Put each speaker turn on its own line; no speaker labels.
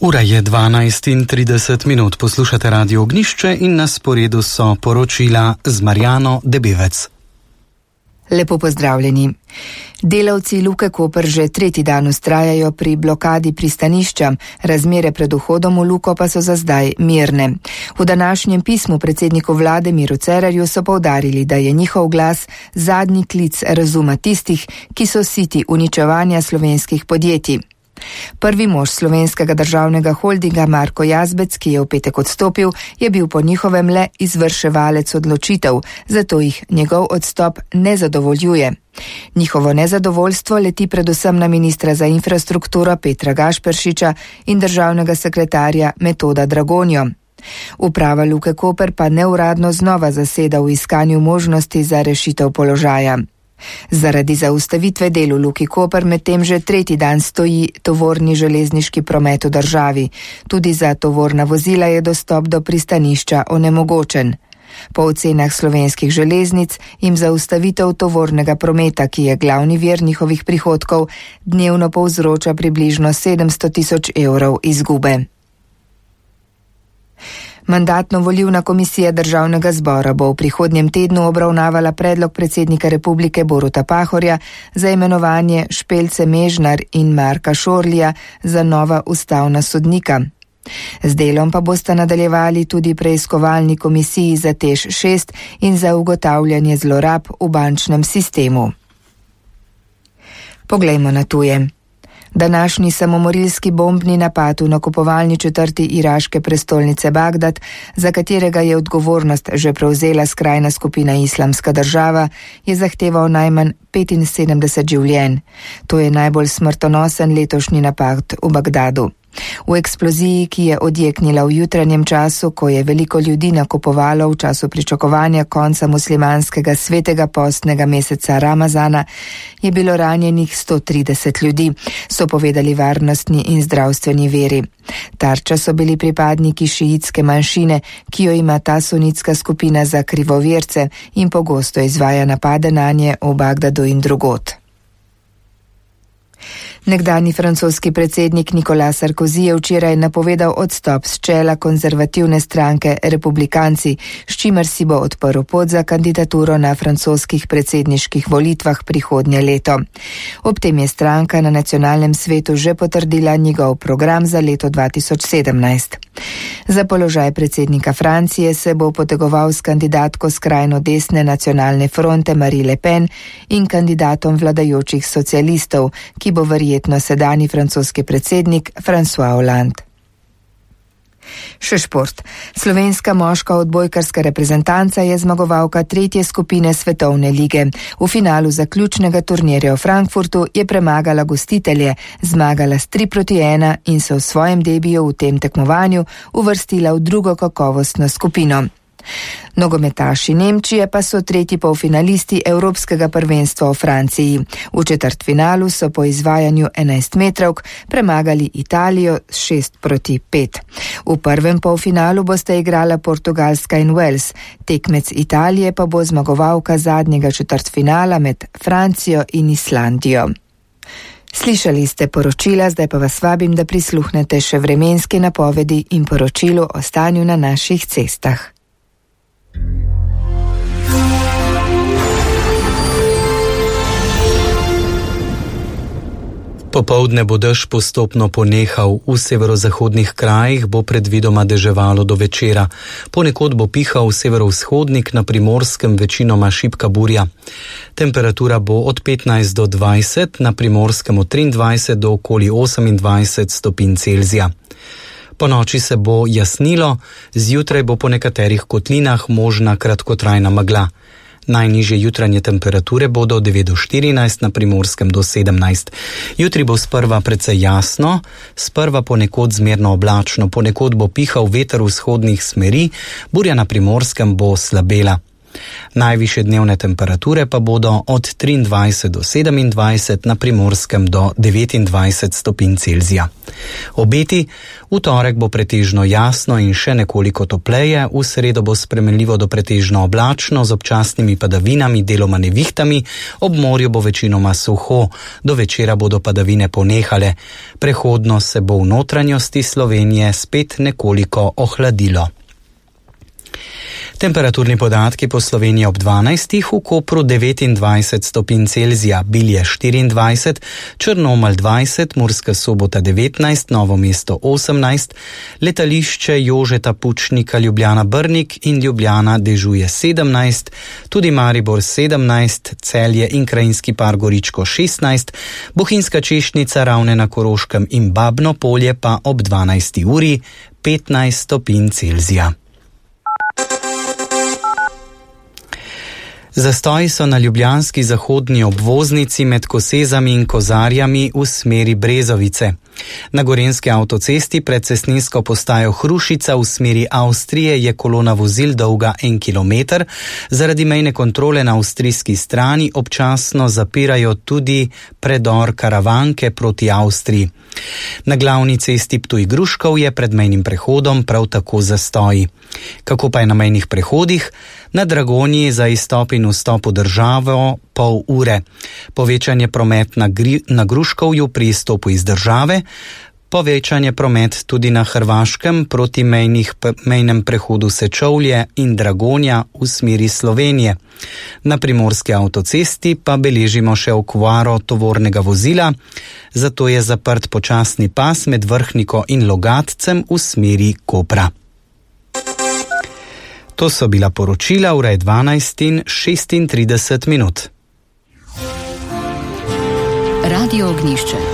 Ura je 12:30, poslušate Radio Ognjišče in na sporedu so poročila z Marjano Debevec.
Lepo pozdravljeni. Delavci Luke Koper že tretji dan vztrajajo pri blokadi pristanišča, razmere pred vhodom v Luko pa so za zdaj mirne. V današnjem pismu predsedniku vlade Miru Cerarju so poudarili, da je njihov glas zadnji klic razuma tistih, ki so siti uničevanja slovenskih podjetij. Prvi mož slovenskega državnega holdinga Marko Jazbec, ki je v petek odstopil, je bil po njihovem le izvrševalec odločitev, zato jih njegov odstop ne zadovoljuje. Njihovo nezadovoljstvo leti predvsem na ministra za infrastrukturo Petra Gašperšiča in državnega sekretarja Metoda Dragonjo. Uprava Luke Koper pa neuradno znova zaseda v iskanju možnosti za rešitev položaja. Zaradi zaustavitve del v Luki Koper medtem že tretji dan stoji tovorni železniški promet v državi. Tudi za tovorna vozila je dostop do pristanišča onemogočen. Po ocenah slovenskih železnic jim zaustavitev tovornega prometa, ki je glavni vir njihovih prihodkov, dnevno povzroča približno 700 000 evrov izgube. Mandatno-volilna komisija Državnega zbora bo v prihodnjem tednu obravnavala predlog predsednika Republike Boruta Pahorja za imenovanje Špelce Mežnar in Marka Šorlija za nova ustavna sodnika. Z delom pa bosta nadaljevali tudi preiskovalni komisiji za TEŠ 6 in za ugotavljanje zlorab v bančnem sistemu. Poglejmo na tuje. Današnji samomorilski bombni napad v nakupovalni četrti iraške prestolnice Bagdad, za katerega je odgovornost že prevzela skrajna skupina Islamska država, je zahteval najmanj 75 življenj. To je najbolj smrtonosen letošnji napad v Bagdadu. V eksploziji, ki je odjeknila v jutranjem času, ko je veliko ljudi nakupovalo v času pričakovanja konca muslimanskega svetega postnega meseca Ramazana, je bilo ranjenih 130 ljudi, so povedali varnostni in zdravstveni viri. Tarča so bili pripadniki šiitske manjšine, ki jo ima ta sunitska skupina za krivoverce in pogosto izvaja napade nanje v Bagdadu in drugod. Nekdanji francoski predsednik Nicolas Sarkozy je včeraj napovedal odstop s čela konzervativne stranke Republikanci, s čimer si bo odprl pot za kandidaturo na francoskih predsedniških volitvah prihodnje leto. Ob tem je stranka na nacionalnem svetu že potrdila njegov program za leto 2017. Za položaj predsednika Francije se bo potegoval s kandidatko skrajno desne nacionalne fronte Marine Le Pen in kandidatom vladajočih socialistov, ki bo verjetno sedanji francoski predsednik François Hollande. Še šport. Slovenska moška odbojkarska reprezentanca je zmagovalka tretje skupine Svetovne lige. V finalu zaključnega turnirja v Frankfurtu je premagala gostitelje, zmagala s 3-1 in se v svojem debiju v tem tekmovanju uvrstila v drugo kakovostno skupino. Nogometaši Nemčije pa so tretji polfinalisti Evropskega prvenstva v Franciji. V četrtfinalu so po izvajanju 11-metrovk premagali Italijo s 6-5. V prvem polfinalu bosta igrala Portugalska in Wales, tekmec Italije pa bo zmagovalka zadnjega četrtfinala med Francijo in Islandijo. Slišali ste poročila, zdaj pa vas vabim, da prisluhnete še vremenski napovedi in poročilu o stanju na naših cestah.
Popoldne bo dež postopno ponehal, v severozahodnih krajih bo predvidoma deževalo do večera. Ponekod bo pihal severovzhodnik, na Primorskem večinoma šibka burja. Temperatura bo od 15 do 20, na Primorskem od 23 do okoli 28 stopinj Celzija. Po noči se bo jasnilo, zjutraj bo po nekaterih kotlinah možna kratkotrajna megla. Najnižje jutranje temperature bodo 9 do 14, na Primorskem do 17. Jutri bo sprva precej jasno, sprva ponekod zmerno oblačno, ponekod bo pihal veter vzhodnih smeri, burja na Primorskem bo slabela. Najvišje dnevne temperature pa bodo od 23 do 27, na Primorskem do 29 stopinj Celzija. Obeti: v torek bo pretežno jasno in še nekoliko topleje, v sredo bo spremenljivo do pretežno oblačno z občasnimi padavinami, deloma nevihtami, ob morju bo večinoma suho, do večera bodo padavine ponehale. Prehodno se bo v notranjosti Slovenije spet nekoliko ohladilo. Temperaturni podatki po Sloveniji ob 12, v Kopru 29 stopinj Celzija, Bilje 24, Črnomelj 20, Murska Sobota 19, Novo mesto 18, letališče Jožeta Pučnika Ljubljana Brnik in Ljubljana dežuje 17, tudi Maribor 17, Celje in Krajinski par Goričko 16, Bohinjska Češnica, Ravne na Koroškem in Babno Polje pa ob 12 uri 15 stopinj Celzija. Zastoji so na ljubljanski zahodni obvoznici med Kosezami in Kozarjami v smeri Brezovice. Na gorenjski avtocesti pred cestninsko postajo Hrušica v smeri Avstrije je kolona vozil dolga 1 kilometer. Zaradi mejne kontrole na avstrijski strani občasno zapirajo tudi predor Karavanke proti Avstriji. Na glavni cesti Ptuj-Gruškov je pred mejnim prehodom prav tako zastoji. Kako pa je na mejnih prehodih? Na Dragonji za izstop in vstop v državo pol ure. Povečan je promet na Gruškovju pri izstopu iz države, povečan je promet tudi na Hrvaškem proti mejnem prehodu Sečovlje in Dragonja v smeri Slovenije. Na primorski avtocesti pa beležimo še okvaro tovornega vozila, zato je zaprt počasni pas med Vrhniko in Logatcem v smeri Kopra. To so bila poročila, ura je 12:36.
Radio Ognjišče.